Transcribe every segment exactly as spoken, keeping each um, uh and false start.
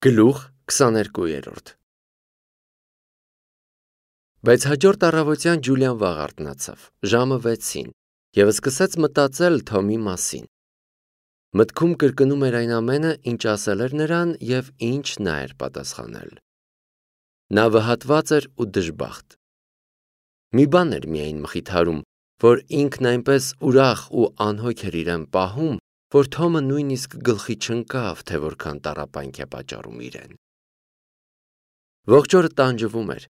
Գլուխ քսաներկու։ Բայց հաջորդ առավոտյան Ջուլիան վաղ արթնացավ, ժամը վեցին, և սկսեց մտածել Թոմի մասին։ Մտքում կրկնում էր այն ամենը, ինչ ասել էր նրան և ինչ նա էր պատասխանել։ Նա վհատված էր ու դժբախտ։ Մի բան էր միայն մխիթարում, որ ինքն այնպես ուրախ ու անհոգ էր իրեն պահում, որ Թոմը նույնիսկ գլխի չընկավ, թե որքան տառապանք է պատճառում իրեն։ Ողջ օրը տանջվում էր,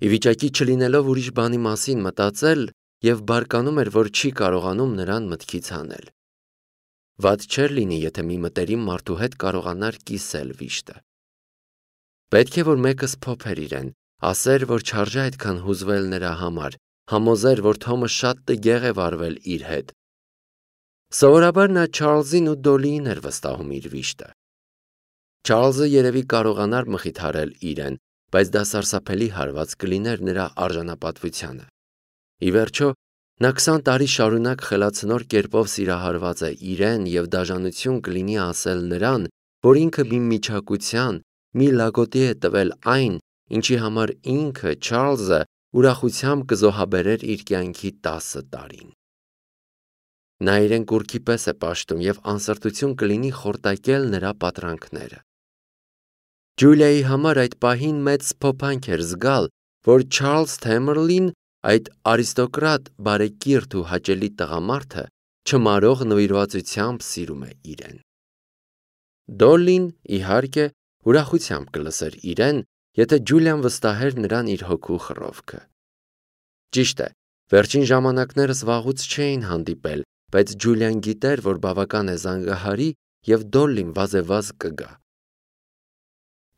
ի վիճակի չլինելով ուրիշ բանի մասին մտածել և բարկանում էր, որ չի կարողանում նրան մտքից հանել։ Վատ չէր լինի, եթե մի մտերիմ մարդու հետ կարողանար կիսել վիշտը։ Պետք է, որ մեկը սփոփեր իրեն, ասեր, որ չարժե այդքան հուզվել նրա համար, համոզեր, որ Թոմը շատ տգեղ է վարվել իր հետ։ Սովորաբար նա Չարլզին ու Դոլիին էր վստահում իր վիշտը։ Չարլզը երևի կարողանար մխիթարել իրեն, բայց դա սարսափելի հարված կլիներ նրա արժանապատվությանը։ Ի վերջո, նա քսան տարի շարունակ խելացնոր կերպով սիրահարված է իրեն և դաժանություն կլինի ասել նրան, որ ինքը մի միչակության, մի լագոտի է տվել այն, ինչի համար ինքը, Չարլզը, ուրախությամբ կզոհաբերեր իր կյանքի տասը տարին։ Նա իրեն կուռքի պես է պաշտում և անսրտություն կլինի խորտակել նրա պատրանքները։ Ջուլիայի համար այդ պահին մեծ սփոփանք էր զգալ, որ Չարլզ Թեմերլին, այդ արիստոկրատ, բարեկիրթ ու հաճելի տղամարդը, չմարող նվիրվածությամբ սիրում է իրեն։ Դոլլին, իհարկե, ուրախությամբ կլսեր իրեն, եթե Ջուլիան վստահեր նրան իր հոգու խռովքը։ Ճիշտ է, վերջին ժամանակներս վաղուց չէին հանդիպել, բայց Ջուլիան գիտեր, որ բավական է զանգահարի և Դոլլին վազևազ կգա։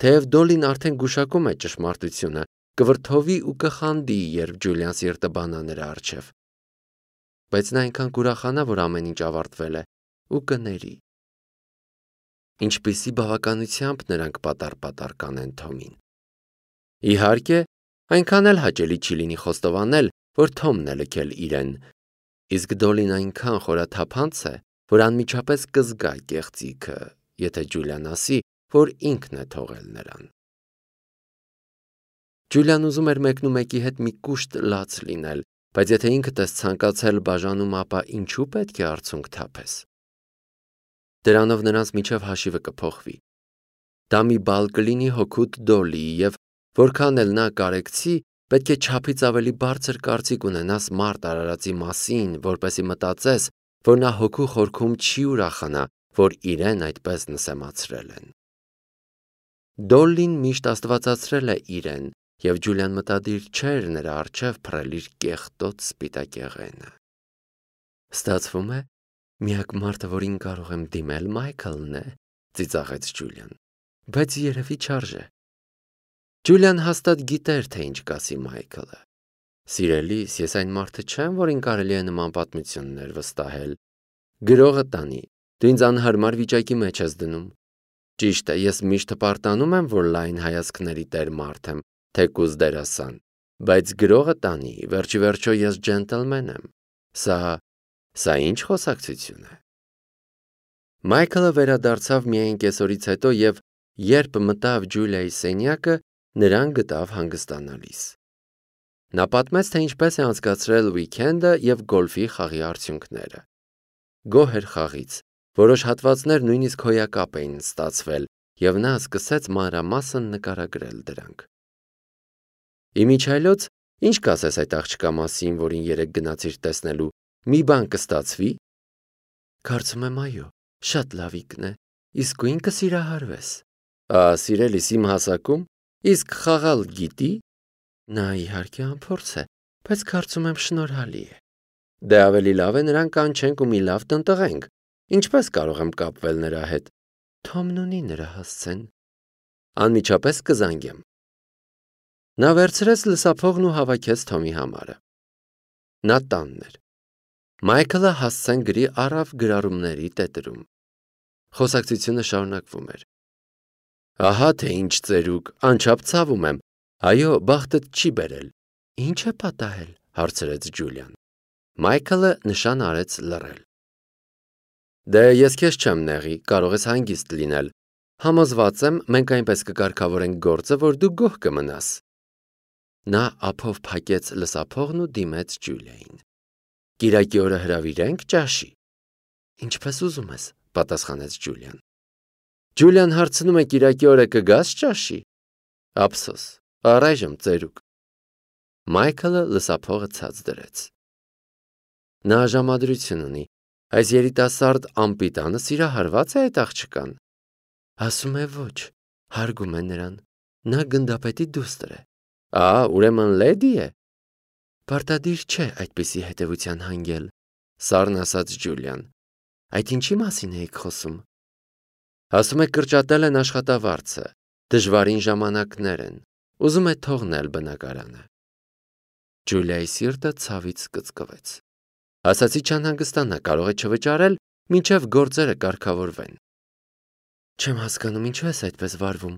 Թեև Դոլլին արդեն գուշակում է ճշմարտությունը, կվրդովի ու կխանդի, երբ Ջուլիան սիրտը բանա նրա առջև։ Բայց նա այնքան կուրախանա, որ ամեն ինչ ավարտվել է, ու կների։ Ինչպիսի բավականությամբ նրանք պատառ-պատառ կանեն Թոմին։ Իհարկե, այնքան էլ հաճելի չի լինի խոստովանել, որ Թոմն է լքել իրեն, իսկ Դոլլին այնքան խորաթափանց է, որ անմիջապես կզգա կեղծիքը, եթե Ջուլիան ասի, որ ինքն է թողել նրան։ Ջուլիան ուզում էր մեկնումեկի հետ մի կուշտ լաց լինել, բայց եթե ինքդ ես ցանկացել բաժանում, ապա ինչու պետք է արցունք թափես։ Դրանով նրանց միջև հաշիվը կփոխվի։ Դա մի բալ կլինի հօգուտ Դոլլիի և որքան էլ նա կարեկցի, պետք է չափից ավելի բարձր կարծիք ունենաս մարդ արարածի մասին, որպեսզի մտածես, որ նա հոգու խորքում չի ուրախանա, որ իրեն այդպես նսեմացրել են։ Դոլլին միշտ աստվածացրել է իրեն, և Ջուլիան մտադիր չէր նրա առջև փռել իր կեղտոտ սպիտակեղենը։ Ստացվում է, միակ մարդը, որին կարող եմ դիմել, Մայքլն է, ծիծաղեց Ջուլիան, բայց երևի չարժե։ Ջուլիան հաստատ գիտեր, թե ինչ կասի Մայքլը։ Սիրելիս, ես այն մարդը չեմ, որին կարելի է նման պատմություններ վստահել։ Գրողը տանի, դու ինձ անհարմար վիճակի մեջ ես դնում։ Ճիշտ է, ես միշտ հպարտանում եմ, որ լայն հայացքների տեր մարդ եմ, թեկուզ դերասան, բայց գրողը տանի, վերջի վերջո ես ջենտլմեն եմ։ Սա, սա ինչ խոսակցություն է։ Մայքլը վերադարձավ միայն կեսօրից հետո և երբ մտավ Ջուլիայի սենյակը, նրան գտավ հանգստանալիս։ Նա պատմեց, թե ինչպես է անցկացրել ուիկենդը և գոլֆի խաղի արդյունքները։ Գոհ էր խաղից, որոշ հատվածներ նույնիսկ հոյակապ էին ստացվել, և նա սկսեց մանրամասն նկարագրել դրանք։ Իմիջիայլոց, ինչ կասես այդ աղջկա մասին, որին երեկ գնացիր տեսնելու, մի բան կստացվի։ Կարծում եմ այո, շատ լավիկն է, իսկույն կսիրահարվես։ Ա, սիրելիս, իմ հասակում, իսկ խաղալ գիտի։ Նա իհարկե անփորձ է, բայց կարծում եմ շնորհալի է։ Դե ավելի լավ է նրան կանչենք ու մի լավ տնտղենք։ Ինչպես կարող եմ կապվել նրա հետ։ Թոմն ունի նրա հասցեն։ Անմիջապես կզանգեմ։ Նա վերցրեց լսափողն ու հավաքեց Թոմի համարը։ Նա տանն էր։ Մայքլը հասցեն գրի առավ գրառումների տետրում։ Խոսակցությունը շարունակվում էր։ Ահա թե ինչ ծերուկ, անչափ ցավում եմ։ Այո, բախտդ չի բերել։ Ինչ է պատահել, հարցրեց Ջուլիան։ Մայքլը նշան արեց լռել։ Դե ես քեզ չեմ նեղի, կարող ես հանգիստ լինել։ Համոզված եմ, մենք այնպես կկարգավորենք գործը, որ դու գոհ կմնաս։ Նա ափով փակեց լսափողն ու դիմեց Ջուլիային։ Կիրակի օրը հրավիրենք ճաշի։ Ինչպես ուզում ես, պատասխանեց Ջուլիան։ Ջուլիան հարցնում է կիրակի օրը կգաս ճաշի։ Ափսոս, առայժմ ծերուկ։ Մայքլը լսափողը ցած դրեց։ Նա ժամադրություն ունի։ Այս երիտասարդ ամպիտանը սիրահարված է այդ աղջկան։ Ասում է ոչ, հարգում է նրան։ Նա գնդապետի դուստր է։ Ահա, ուրեմն լեդի է։ Պարտադիր չէ այդպիսի հետևության հանգել, սառն ասաց Ջուլիան։ Այդ ինչի մասին էիք խոսում։ Ասում է կրճատել են աշխատավարձը, դժվարին ժամանակներ են, ուզում է թողնել բնակարանը։ Ջուլիայի սիրտը ցավից կծկվեց։ Ասացի չանհանգստանա, կարող է չվճարել, մինչև գործերը կարգավորվեն։ Չեմ հասկանում, ինչու ես այդպես վարվում։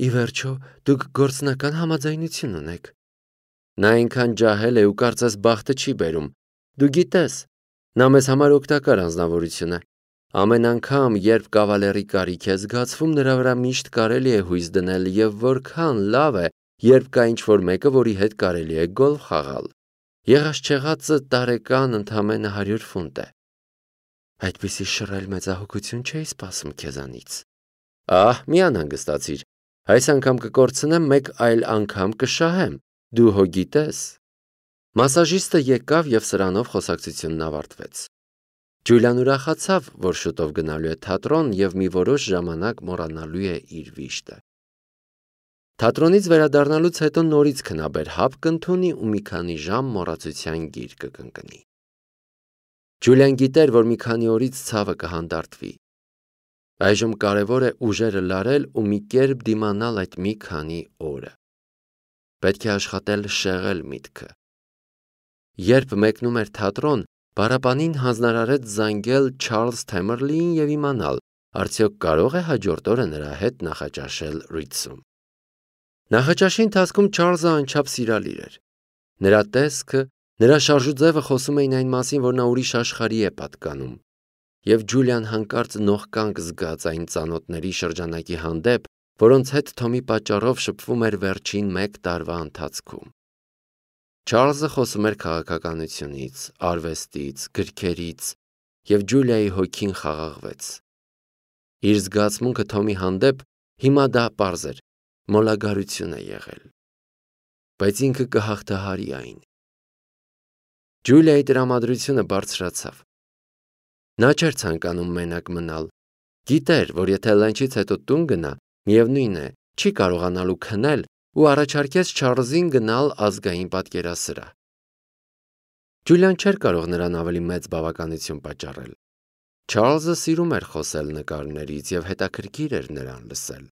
Ի վերջո, դուք գործնական համաձայնություն ունեք։ Նա այնքան ջահել է ու կարծես բախտը չի բերում։ Դու գիտես, նա մեզ համար օգտակար անձնավորություն է։ Ամեն անգամ, երբ կավալերի կարիք է զգացվում, նրա վրա միշտ կարելի է հույս դնել եւ որքան լավ է, երբ կա ինչ-որ մեկը, որի հետ կարելի է գոլֆ խաղալ։ Եղած-չեղածը տարեկան ընդամենը հարյուր ֆունտ է։ Այդպիսի շռայլ մեծահոգություն չէի սպասում քեզանից։ Ահ, մի անհանգստացիր։ Այս անգամ կկորցնեմ, մեկ այլ անգամ կշահեմ։ Դու հո գիտես։ Մասաժիստը եկավ եւ սրանով խոսակցությունն ավարտվեց։ Ջուլիան ուրախացավ, որ շուտով գնալու է թատրոն եւ մի որոշ ժամանակ մոռանալու է իր վիշտը։ Թատրոնից վերադառնալուց հետո նորից քնաբեր հապ կընդունի ու մի քանի ժամ մոռացության գիր կկնկնի։ Ջուլիան գիտեր, որ մի քանի օրից ցավը կհանդարտվի։ Այժմ կարևոր է ուժերը լարել ու մի կերպ դիմանալ այդ մի քանի օրը։ Պետք է աշխատել շեղել միտքը։ Երբ մեկնում էր թատրոն, Բարապանին հանձնարարեց զանգել Չարլզ Թեմերլիին եւ իմանալ, արդյոք կարող է հաջորդ օրը նրա հետ նախաճաշել Ռիցում։ Նախաճաշի ընթացքում Չարլզը անչափ սիրալիր էր։ Նրա տեսքը, նրա շարժուձևը խոսում էին այն մասին, որ նա ուրիշ աշխարհի է պատկանում։ Եվ Ջուլիան հանկարծ նողկանք զգաց այն ծանոթների շրջանակի հանդեպ, որոնց հետ Թոմի պատճառով շփվում էր վերջին մեկ տարվա ընթացքում։ Չարլզը խոսում էր քաղաքականությունից, արվեստից, գրքերից, եւ Ջուլիայի հոգին խաղաղվեց։ Իր զգացմունքը Թոմի հանդեպ հիմա դա պարզ էր, մոլագարություն է եղել։ Բայց ինքը կհաղթահարի այն։ Ջուլիայի տրամադրությունը բարձրացավ։ Նա չէր ցանկանում մենակ մնալ։ Գիտեր, որ եթե լանչից հետո տուն գնա, միևնույն է, չի կարողանալու քնել ու առաջարկեց Չարլզին գնալ ազգային պատկերասրահ։ Ջուլիան չէր կարող նրան ավելի մեծ բավականություն պատճառել։ Չարլզը սիրում էր խոսել նկարներից եւ հետաքրքիր էր նրան լսել։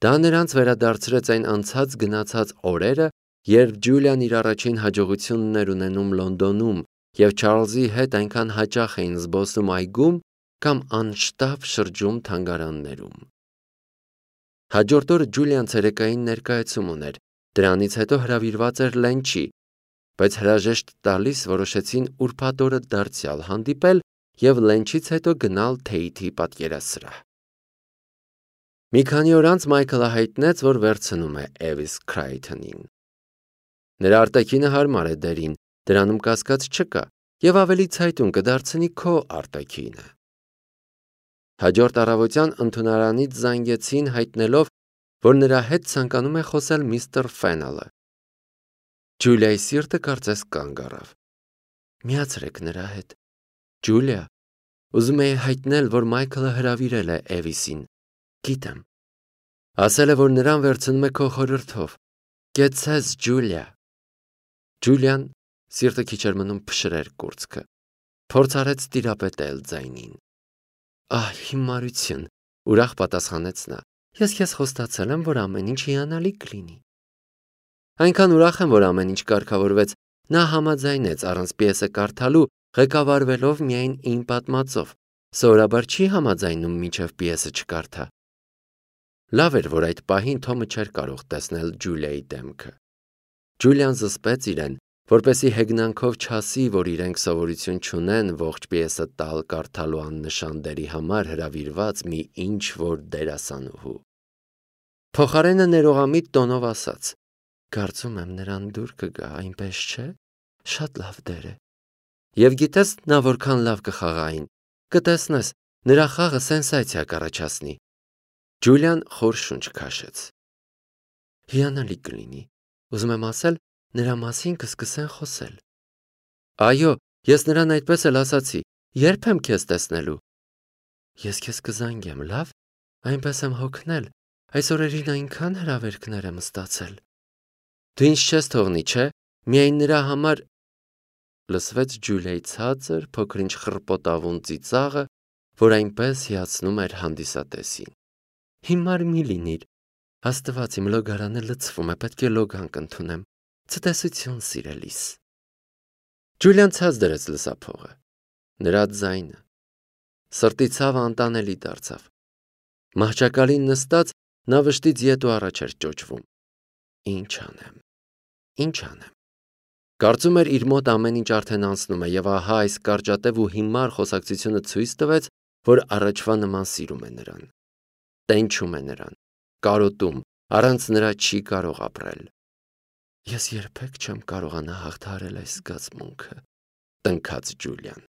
Դա նրանց վերադարձրեց այն անցած գնացած օրերը, երբ Ջուլիան իր առաջին հաջողությունն էր ունենում Լոնդոնում եւ Չարլզի հետ այնքան հաճախ էին զբոսում այգում կամ անշտապ շրջում թանգարաններում։ Հաջորդ օրը Ջուլիան ցերեկային ներկայացում ուներ, դրանից հետո հրավիրված էր լենչի, բայց հրաժեշտ տալիս որոշեցին ուրբաթ օրը դարձյալ հանդիպել եւ լենչից հետո գնալ Թեյթի պատկերասրահ։ Մի քանի օր անց Մայքլը հայտնեց, որ վերցնում է Էվիս Քրայթոնին։ Նրա արտաքինը հարմար է դերին, դրանում կասկած չկա, եւ ավելի ցայտուն կդարձնի քո արտաքինը։ Հաջորդ առավոտյան ընդունարանից զանգեցին հայտնելով, որ նրա հետ ցանկանում է խոսել միստր Ֆենելը։ Ջուլիայի սիրտը կարծես կանգ առավ։ Միացրեք նրա հետ։ Ջուլիա, ուզում էի հայտնել, որ Մայքլը հրավիրել է Էվիսին։ Գիտեմ։ Ասել է, որ նրան վերցնում է քո խորհրդով։ Կեցես, Ջուլիա։ Ջուլիան սիրտը քիչ էր մնում փշրեր կուրծքը։ Փորձ արեց տիրապետել ձայնին։ Ահ, հիմարություն, ուրախ պատասխանեց նա։ Ես քեզ խոստացել եմ, որ ամեն ինչ հիանալի կլինի։ Այնքան ուրախ եմ, որ ամեն ինչ կարգավորվեց, նա համաձայնեց առանց պիեսը կարդալու, ղեկավարվելով միայն իմ պատմածով։ Սովորաբար չի համաձայնում, մինչև պիեսը չկարդա։ Լավ էր, որ այդ պահին Թոմը չէր կարող տեսնել Ջուլիայի դեմքը։ Ջուլիան զսպեց իրեն, որպեսզի հեգնանքով չասի, որ իրենք սովորություն չունեն ողջ պիեսը տալ կարդալու աննշան դերի համար հրավիրված մի ինչ-որ դերասանուհու։ Փոխարենը ներողամիտ տոնով ասաց. «Կարծում եմ նրան դուր կգա, այնպես չէ՞, շատ լավ դեր է։ Եվ գիտես նա որքան լավ կխաղային, կտեսնես, նրա խաղը սենսացիա կառաջացնի»։ Ջուլիան խոր շունչ քաշեց։ Հիանալի կլինի, ուզում եմ ասել, նրա մասին կսկսեն խոսել։ Այո, ես նրան այդպես էլ ասացի, երբ եմ քեզ տեսնելու։ Ես քեզ կզանգեմ, լավ, այնպես եմ հոգնել, այս օրերին այնքան հրավերքներ եմ ստացել։ Դու ինձ չես թողնի, չէ՞, միայն նրա համար… Լսվեց Ջուլիայի ցածր, փոքր-ինչ խռպոտավուն ծիծաղը, որ այնպես հիացնում էր հանդիսատեսին։ Հիմար մի լինիր, Աստված, իմ լոգարանը լցվում է, պետք է լոգանք ընդունեմ։ Ցտեսություն, սիրելիս։ Ջուլիան ցած դրեց լսափողը։ Նրա ձայնը։ Սրտի ցավը անտանելի դարձավ։ Մահճակալին նստած նա վշտից ետ ու առաջ էր ճոճվում։ Ինչ անեմ, ինչ անեմ։ Կարծում էր իր մոտ ամեն ինչ արդեն անցնում է, եւ ահա այս կարճատև ու հիմար խոսակցությունը ցույց տվեց, որ առաջվա նման սիրում է նրան։ Տենչում է նրան, կարոտում, առանց նրա չի կարող ապրել։ Ես երբեք չեմ կարողանա հաղթահարել այս զգացմունքը, տնքաց Ջուլիան։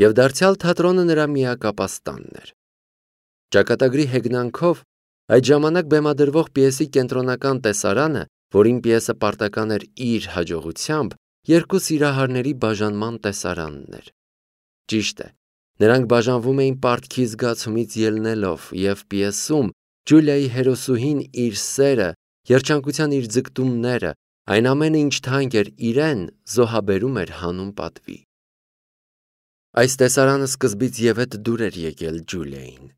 Եվ դարձյալ թատրոնը նրա միակապաստանն էր։ Ճակատագրի հեգնանքով այդ ժամանակ բեմադրվող պիեսի կենտրոնական տեսարանը, որին պիեսը պարտական էր իր հաջողությամբ, երկու սիրահարների բաժանման տեսարանն էր։ Ճիշտ է, նրանք բաժանվում էին պարտքի զգացումից ելնելով, եւ պիեսում Ջուլիայի հերոսուհին իր սերը, երջանկության իր ձգտումները, այն ամենը, ինչ թանկ էր իրեն, զոհաբերում էր հանուն պատվի։ Այս տեսարանը սկզբից ևեթ դուր էր եկել Ջուլիային։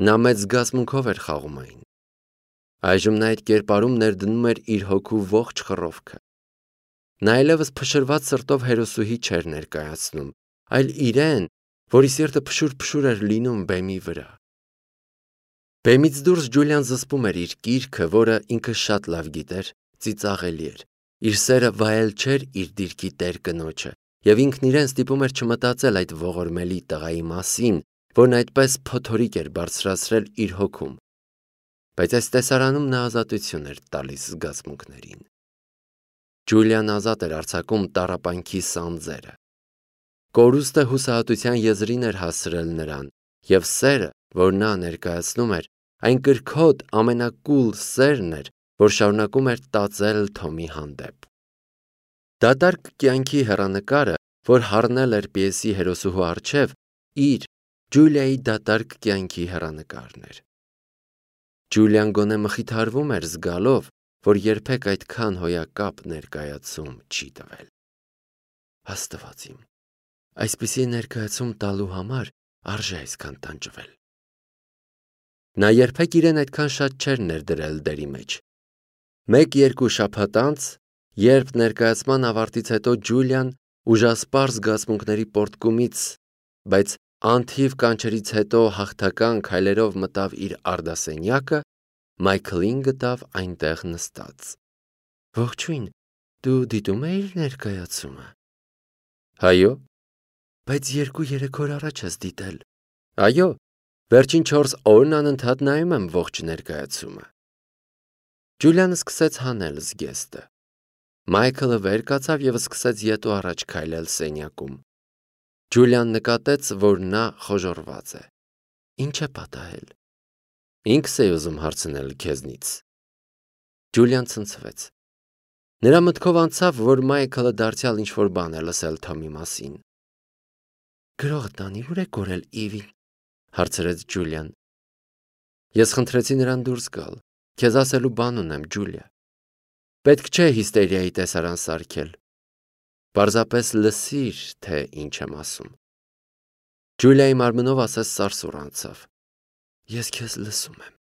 Նա մեծ զգացմունքով էր խաղում այն։ Այժմ նա այդ կերպարում ներդնում էր իր հոգու ողջ խռովքը։ Նա այլևս փշրված սրտով հերոսուհի չէր ներկայացնում, այլ իրեն, որի սիրտը փշուր-փշուր էր լինում բեմի վրա։ Բեմից դուրս Ջուլիան զսպում էր իր կիրքը, որը ինքը շատ լավ գիտեր, ծիծաղելի էր։ Իր սերը վայել չէր իր դիրքի տեր կնոջը, եւ ինքն իրեն ստիպում էր չմտածել այդ ողորմելի տղայի մասին, որն այդպես փոթորիկ էր բարձրացրել իր հոգում։ Բայց այս տեսարանում նա ազատություն էր տալիս զգացմունքներին։ Ջուլիան ազատ էր արձակում տառապանքի սանձերը։ Կորուստը հուսահատության եզրին էր հասցրել նրան, եւ սերը, որ նա ներկայացնում էր, այն կրքոտ ամենակուլ սերն էր, որ շարունակում էր տածել Թոմի հանդեպ։ Դատարկ կյանքի հեռանկարը, որ հառնել էր պիեսի հերոսուհու առջև, իր Ջուլիայի դատարկ կյանքի հեռանկարն էր։ Ջուլիան գոնե մխիթարվում էր զգալով, որ երբեք այդքան հոյակապ ներկայացում չի տվել։ Աստված իմ, այսպիսի ներկայացում տալու համար արժե այսքան տանջվել։ Նա երբեք իրեն այդքան շատ չէր ներդրել դերի մեջ։ Մեկ-երկու շաբաթ անց, երբ ներկայացման ավարտից հետո Ջուլիան ուժասպառ զգացմունքների պոռթկումից, բայց անթիվ կանչերից հետո հաղթական քայլերով մտավ իր արդասենյակը, Մայքլին գտավ այնտեղ նստած։ Ողջույն, դու դիտում էիր ներկայացումը։ Այո։ Բայց երկու-երեք օր առաջ ես դիտել։ Այո, վերջին չորս օրն անընդհատ նայում եմ ողջ ներկայացումը։ Ջուլիանը սկսեց հանել զգեստը։ Մայքլը վեր կացավ եւ սկսեց ետ ու առաջ քայլել սենյակում։ Ջուլիան նկատեց, որ նա խոժոռված է։ Ինչ է պատահել։ Ինքս էի ուզում հարցնել քեզնից։ Ջուլիան ցնցվեց։ Նրա մտքով անցավ, որ Մայքլը դարձյալ ինչ-որ բան է լսել Թոմի մասին։ Գրողը տանի ուր է կորել Իվին, հարցրեց Ջուլիան։ Ես խնդրեցի նրան դուրս գալ։ Քեզ ասելու բան ունեմ, Ջուլիա։ Պետք չէ հիստերիայի տեսարան սարքել։ Պարզապես լսիր, թե ինչ եմ ասում։ Ջուլիայի մարմնով ասես սարսուռ անցավ։ Ես քեզ լսում եմ։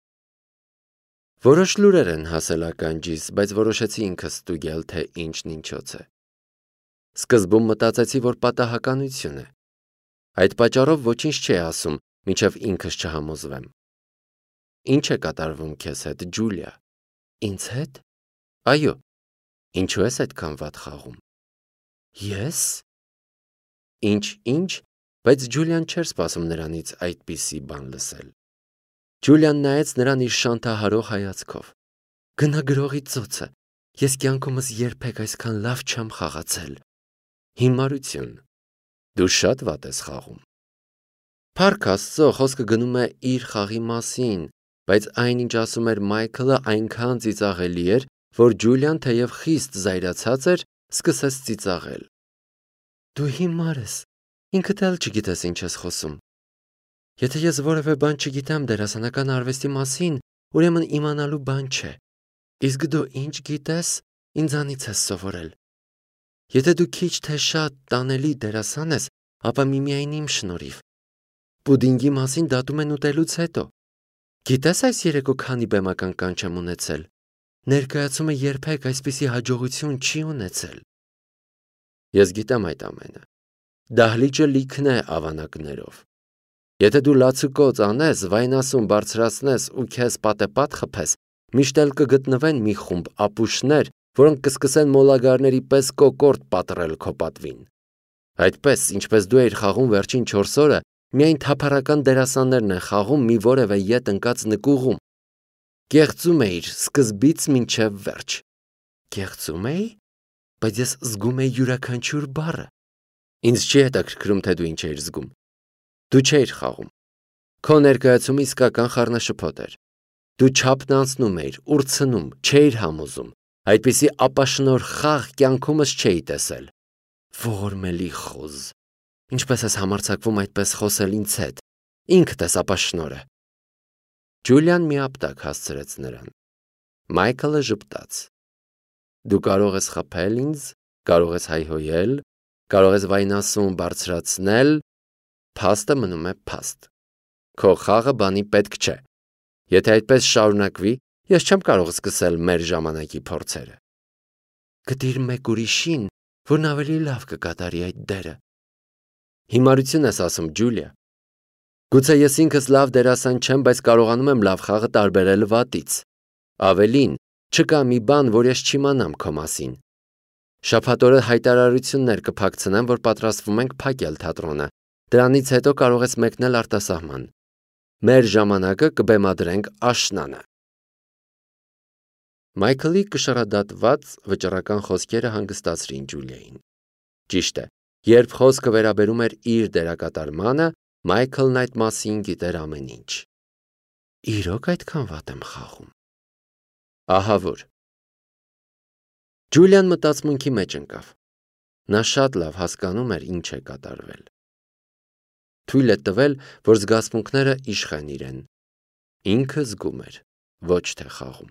Որոշ լուրեր են հասել ականջիս, բայց որոշեցի ինքս ստուգել, թե ինչն ինչոց է։ Սկզբում մտածեցի, որ պատահականություն է։ Այդ պատճառով ոչինչ չի ասում, մինչև ինքս չհամոզվեմ։ Ինչ է կատարվում քեզ հետ, Ջուլիա։ Ինձ հետ։ Այո։ Ինչու ես այդքան վատ խաղում։ Ես։ Ինչ-ինչ, բայց Ջուլիան չէր սպասում նրանից այդպիսի բան լսել։ Ջուլիան նայեց նրան իր շանթահարող հայացքով։ Գնա գրողի ծոցը, ես կյանքումս երբեք այսքան լավ չեմ խաղացել։ Հիմարություն։ Դու շատ վատ ես խաղում։ Փառք Աստծո, խոսքը գնում է իր խաղի մասին, բայց այն, ինչ ասում էր Մայքլը, այնքան ծիծաղելի էր, որ Ջուլիան, թեև խիստ զայրացած էր, սկսեց ծիծաղել։ Դու հիմար ես, ինքդ էլ չգիտես ինչ ես խոսում։ Եթե ես որևէ բան չգիտեմ դերասանական արվեստի մասին, ուրեմն իմանալու բան չէ։ Իսկ դու ինչ գիտես, ինձանից ես սովորել։ Եթե դու քիչ թե շատ տանելի դերասան ես, ապա միմիայն իմ շնորհիվ։ Պուդինգի մասին դատում են ուտելուց հետո։ Գիտես այս երեկո քանի բեմական կանչ եմ ունեցել։ Ներկայացումը երբեք այսպիսի հաջողություն չի ունեցել։ Ես գիտեմ այդ ամենը։ Դահլիճը լիքն է ավանակներով։ Եթե դու լացուկոծ անես, վայնասուն բարձրացնես ու քեզ պատեպատ խփես, միշտ էլ կգտնվեն մի խումբ ապուշներ, որոնք կսկսեն մոլագարների պես կոկորտ պատռել քո պատվին։ Այդպես, ինչպես դու էիր խաղում վերջին չորս օրը, միայն թափառական դերասաններն են խաղում մի որևէ ետ ընկած նկուղում։ Կեղծում էիր սկզբից մինչև վերջ։ Կեղծում էի, բայց ես զգում էի յուրաքանչյուր բառը։ Ինձ չի հետաքրքրում, թե դու ինչ էիր զգում։ Դու չէիր խաղում։ Քո ներկայացումը իսկական խառնաշփոթ էր։ Դու չափն անցնում էիր, ուրցնում, չէիր համոզում։ Այդպիսի ապաշնոր խաղ կյանքումս չէի տեսել։ Ողորմելի խոզ։ Ինչպես ես համարձակվում այդպես խոսել ինձ հետ։ Ինքդ ես ապաշնորը։ Ջուլիան միապտակ հասցրեց նրան։ Մայքլը ժպտաց։ Դու կարող ես խփել ինձ, կարող ես հայհոյել, կարող ես վայնասուն բարձրացնել, փաստը մնում է փաստ։ Քո խաղը բանի պետք չէ։ Եթե այդպես շարունակվի, ես չեմ կարող սկսել մեր ժամանակի փորձերը։ Գտիր մեկ ուրիշին, որն ավելի լավ կկատարի այդ դերը։ Հիմարություն ես ասում, Ջուլիա։ Գուցե ես ինքս լավ դերասան չեմ, բայց կարողանում եմ լավ խաղը տարբերել վատից։ Ավելին, չկա մի բան, որ ես չիմանամ քո մասին։ Շաբաթ օրը հայտարարություններ կփակցնեմ, որ պատրաստվում ենք փակել թատրոնը։ Դրանից հետո կարող ես մեկնել արտասահման։ Մեր ժամանակը կբեմադրենք աշնանը։ Մայքլի կշռադատված վճռական խոսքերը հանգստացրին Ջուլիային։ Ճիշտ է, երբ խոսքը վերաբերում էր իր դերակատարմանը, Մայքլն այդ մասին գիտեր ամեն ինչ։ Իրոք այդքան վատ եմ խաղում։ Ահա որ։ Ջուլիան մտածմունքի մեջ ընկավ։ Նա շատ լավ հասկանում էր ինչ է կատարվել։ Թույլ է տվել, որ զգացմունքները իշխեն իրեն։ Ինքը զգում էր, ոչ թե խաղում։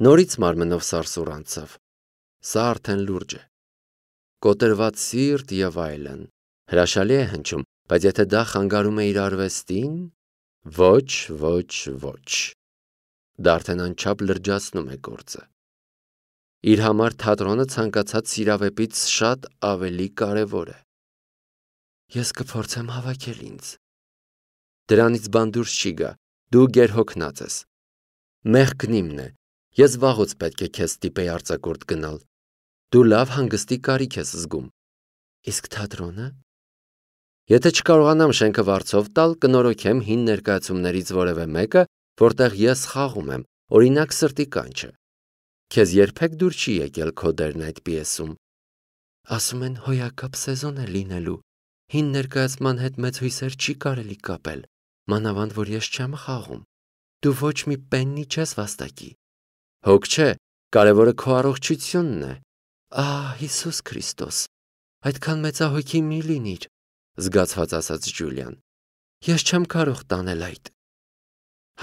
Նորից մարմնով սարսուռ անցավ։ Սա արդեն լուրջ է։ Կոտրված սիրտ եւ այլն։ Հրաշալի է հնչում, բայց եթե դա խանգարում է իր արվեստին, ոչ, ոչ, ոչ։ Դա արդեն անչափ լրջացնում է գործը։ Իր համար թատրոնը ցանկացած սիրավեպից շատ ավելի կարևոր է։ Ես կփորձեմ հավաքել ինձ։ Դրանից բան դուրս չի գա, դու գերհոգնած ես։ Մեղքն իմն է, ես վաղուց պետք է քեզ ստիպեի արձակուրդ գնալ։ Դու լավ հանգստի կարիք ես զգում։ Իսկ թատրոնը։ Եթե չկարողանամ շենքը վարձով տալ, կնորոգեմ հին ներկայացումներից որևէ մեկը, որտեղ ես խաղում եմ, օրինակ սրտի կանչը։ Քեզ երբեք դուր չի եկել քո դերն այդ պիեսում։ Ասում են հոյակապ սեզոն է լինելու։ Հին ներկայացման հետ մեծ հույսեր չի կարելի կապել, մանավանդ որ ես չեմ խաղում։ Դու ոչ մի պեննի չես վաստակի։ Հոգ չէ, կարևորը քո առողջությունն է։ Ահ, Հիսուս Քրիստոս, այդքան մեծահոգի մի լինիր, զգացված ասաց Ջուլիան։ Ես չեմ կարող տանել այդ։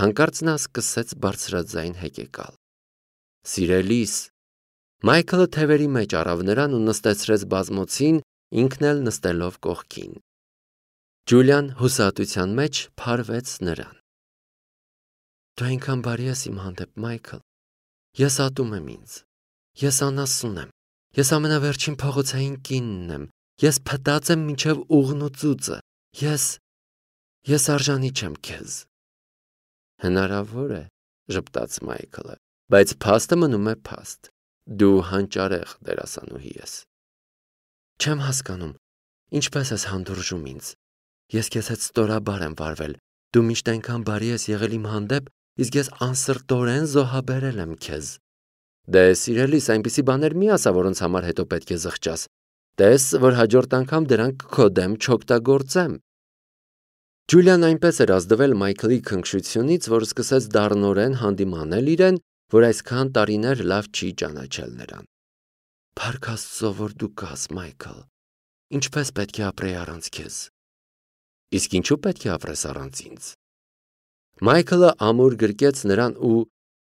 Հանկարծ նա սկսեց բարձրաձայն հեկեկալ։ Սիրելիս, Մայքլը թևերի մեջ առավ նրան ու նստեցրեց բազմոցին, ինքն էլ նստելով կողքին։ Ջուլիան հուսահատության մեջ փարվեց նրան։ Դու այնքան բարի ես իմ հանդեպ, Մայքլ։ Ես ատում եմ ինձ։ Ես անասուն եմ։ Ես ամենավերջին փողոցային կինն եմ։ Ես փտած եմ մինչև ուղն ու ծուծը։ Ես ես արժանի չեմ քեզ։ Հնարավոր է, ժպտաց Մայքլը, բայց փաստը մնում է փաստ։ Դու հանճարեղ դերասանուհի ես։ Չեմ հասկանում, ինչպես ես հանդուրժում ինձ։ Ես քեզ հետ ստորաբար եմ վարվել։ Դու միշտ այնքան բարի ես եղել իմ հանդեպ, իսկ ես անսրտորեն զոհաբերել եմ քեզ։ Դե սիրելիս, այնպիսի բաներ մի ասա, որոնց համար հետո պետք է զղջաս։ Տես, որ հաջորդ անգամ դրանք քո դեմ չօգտագործեմ։ Ջուլիան այնպես էր ազդվել Մայքլի քնքշությունից, որ սկսեց դառնորեն հանդիմանել իրեն, որ այսքան տարիներ լավ չի ճանաչել նրան։ Փառք Աստծո, որ դու կաս, Մայքլ։ Ինչպես պետք է ապրեի առանց քեզ։ Իսկ ինչու պետք է ապրես առանց ինձ։ Մայքլը ամուր գրկեց նրան ու,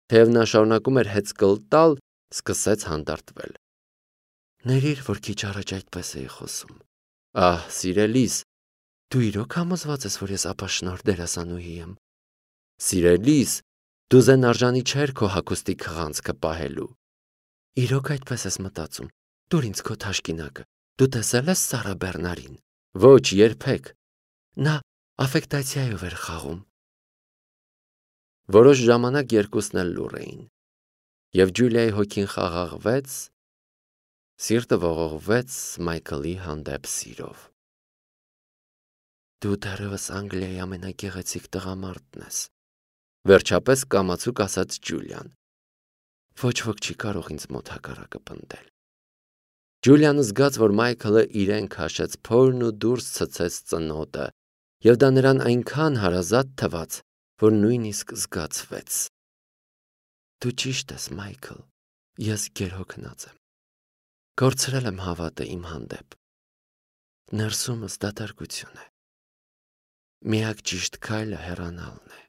թեև նա շարունակում էր հեծկլ տալ, սկսեց հանդարտվել։ Ներիր, որ քիչ առաջ այդպես էի խոսում։ Ահ, սիրելիս, դու իրոք համոզված ես, որ ես ապաշնորհ դերասանուհի եմ։ Սիրելիս, դու զեն արժանի չէր քո հագուստի քղանցքը պահելու։ Իրոք այդպես ես մտածում։ Դուր ինձ քո թաշկինակը։ Դու տեսել ես Սարա Բեռնարին։ Ոչ, երբեք։ Նա աֆեկտացիայով էր խաղում։ Որոշ ժամանակ երկուսն էլ լուռ էին։ Եվ Ջուլիայի հոգին խաղաղվեց, սիրտը ողողվեց Մայքլի հանդեպ սիրով։ Դու դեռևս Անգլիայի ամենագեղեցիկ տղամարդն ես, վերջապես կամացուկ ասաց Ջուլիան։ Ոչ ոք չի կարող ինձ մոտ հակառակը պնդել։ Ջուլիանը զգաց, որ Մայքլը իրեն քաշեց փորն ու դուրս ցցեց ծնոտը, եւ դա նրան այնքան հարազատ թվաց, որ նույնիսկ զգացվեց։ Դու ճիշտ ես, Մայքլ, ես գերհոգնած եմ։ Կորցրել եմ հավատը իմ հանդեպ։ Ներսումս դատարկություն է։ Միակ ճիշտ քայլը հեռանալն է։